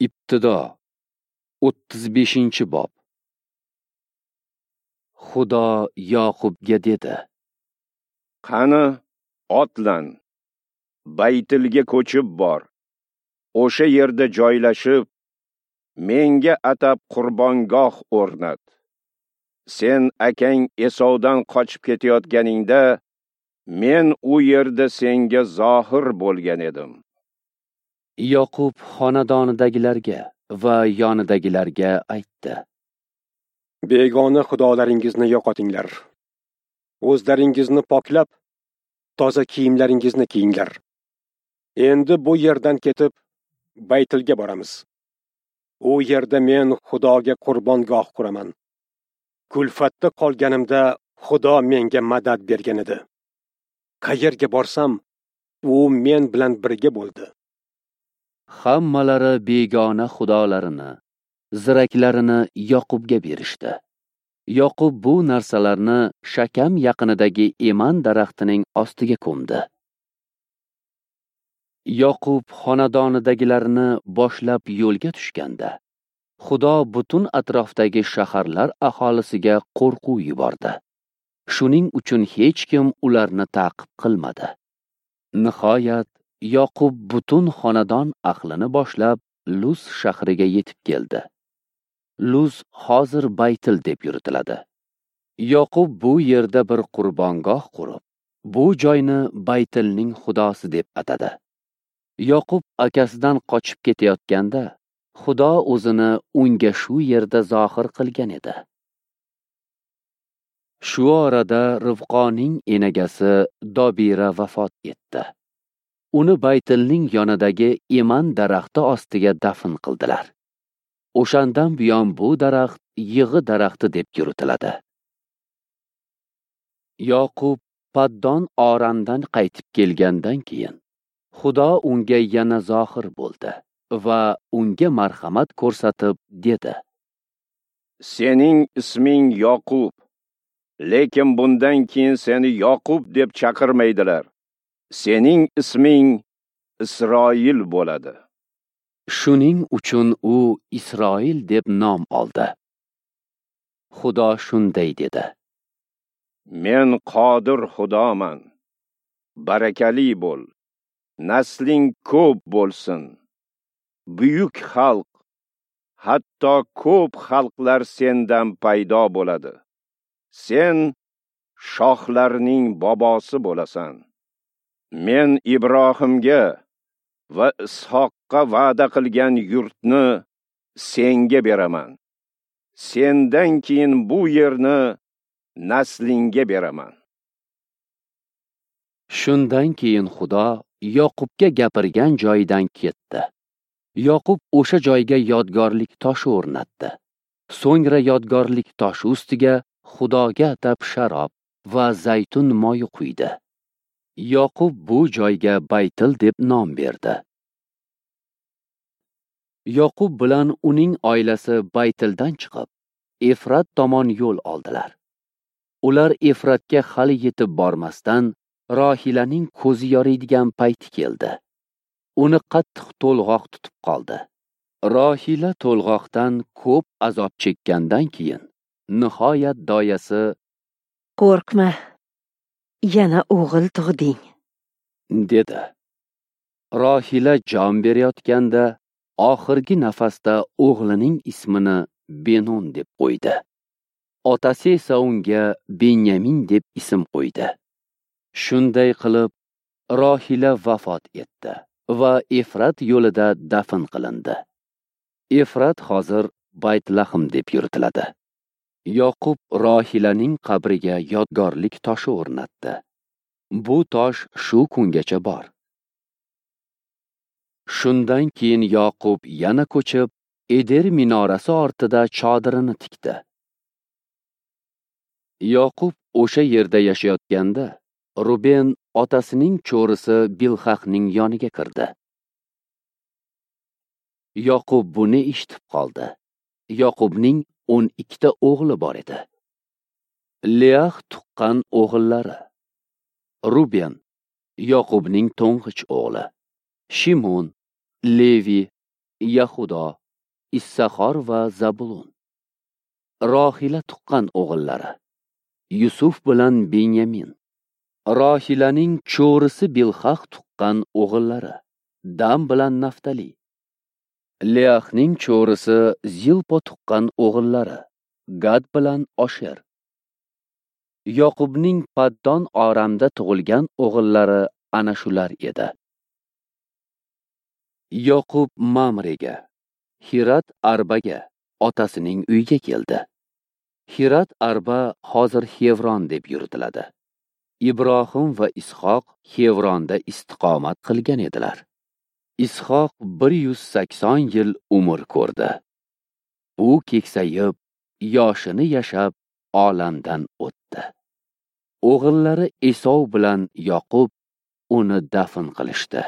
Ibtido 35-bob. Xudo Yoqubga dedi: Qani, otlan, Baytilga ko'chib bor. O'sha yerda joylashib, menga atab qurbongoh o'rnat. Sen akang Esovdan qochib ketayotganingda, men u yerda senga zohir bo'lgan edim. Yoqub xonadonidagilarga va yonidagilarga aytdi: Begona xudolaringizni yo'qotinglar. O'zlaringizni poklab, toza kiyimlaringizni kiyinglar. Endi bu yerdan ketib, Baytilga boramiz. U yerda men Xudoga qurbongoh quraman. Kulfatda qolganimda Xudo menga madad bergan edi. Qayerga borsam, u men bilan birga bo'ldi. Hammalari begona xudolarini, ziraklarini Yoqubga berishdi. Yoqub bu narsalarni Shakam yaqinidagi eman daraxtining ostiga ko'mdi. Yoqub xonadonidagilarni boshlab yo'lga tushganda, Xudo butun atrofdagi shaharlar aholisiga qo'rquv yubordi. Shuning uchun hech kim ularni ta'qib qilmadi. Nihoyat Yoqub butun xonadon ahlini boshlab Luz shahriga yetib keldi. Luz hozir Baytil deb yuritiladi. Yoqub bu yerda bir qurbongoh qurib, bu joyni Baytilning xudosi deb atadi. Yoqub akasidan qochib ketayotganda, Xudo o'zini unga shu yerda zohir qilgan edi. Shu orada Rivqoning enagasi Dobira vafot etdi. Uni Baytilning yonidagi eman daraxti ostiga dafn qildilar. O'shandan buyon bu daraxt yig'i daraxti deb yuritiladi. Yoqub Paddon Oramdan qaytib kelgandan keyin Xudo unga yana zohir bo'ldi va unga marhamat ko'rsatib dedi: Sening isming Yoqub, lekin bundan keyin seni Yoqub deb chaqirmaydilar. Sening isming Isroil bo'ladi. Shuning uchun u Isroil deb nom oldi. Xudo shunday dedi: Men qodir Xudoman. Barakali bo'l. Nasling ko'p bo'lsin. Buyuk xalq, hatto ko'p xalqlar sendan paydo bo'ladi. Sen shohlarning bobosi bo'lasan. Men Ibrohimga va Ishoqqa va'da qilgan yurtni senga beraman. Sendan keyin bu yerni naslingga beraman. Shundan keyin Xudo Yoqubga gapirgan joyidan ketdi. Yoqub o'sha joyga yodgorlik toshi o'rnatdi. So'ngra yodgorlik toshi ustiga Xudoga atab sharob va zaytun moyi quydi. Yoqub bu joyga Baytil deb nom berdi. Yoqub bilan uning oilasi Baytildan chiqib, Efrat tomon yo'l oldilar. Ular Efratga hali yetib bormasdan, Rohilaning ko'zi yoriydigan payti keldi. Uni qattiq to'lg'oq tutib qoldi. Rohila to'lg'oqdan ko'p azob chekkandan keyin nihoyat doyasi: Qo'rqma, yana o'g'il tug'ding, dedi. Rohila jon berayotganda oxirgi nafasda o'g'lining ismini Benon deb qo'ydi. Otasi esa unga Benyamin deb ism qo'ydi. Shunday qilib Rohila vafot etdi va Efrat yo'lida dafn qilindi. Efrat hozir Baytlahm deb yuritiladi. Yoqub Rohilaning qabriga yodgorlik toshi o'rnatdi. Bu tosh shu kungacha bor. Shundan keyin Yoqub yana ko'chib, Eder minorasi ortida chodirini tikdi. Yoqub o'sha yerda yashayotganda, Ruben otasining cho'risi Bilhahning yoniga kirdi. Yoqub buni eshitib qoldi. Yoqubning 12 ta o'g'li bor edi. Leah tuqqan o'g'illari: Ruben, Yoqubning to'ng'ich o'g'li, Shimon, Levi, Yahudo, Issaxor va Zabulon. Rohila tuqqan o'g'illari: Yusuf bilan Binyamin. Rohilaning cho'risi Bilhah tuqqan o'g'illari: Dam bilan Naftali. Leahning cho'risi Zilpo tuqqan o'g'illari: Gad bilan Osher. Yoqubning Paddon Oramda tug'ilgan o'g'illari ana shular edi. Yoqub Mamrega, Hirat Arbaga, otasining uyiga keldi. Hirat Arba hozir Xevron deb yuritiladi. Ibrohim va Ishoq Xevronda istiqomat qilgan edilar. Ishoq 180 yil umr ko'rdi. U keksayib, yoshini yashab, olamdan o'tdi. O'g'illari Esov bilan Yoqub uni dafn qilishdi.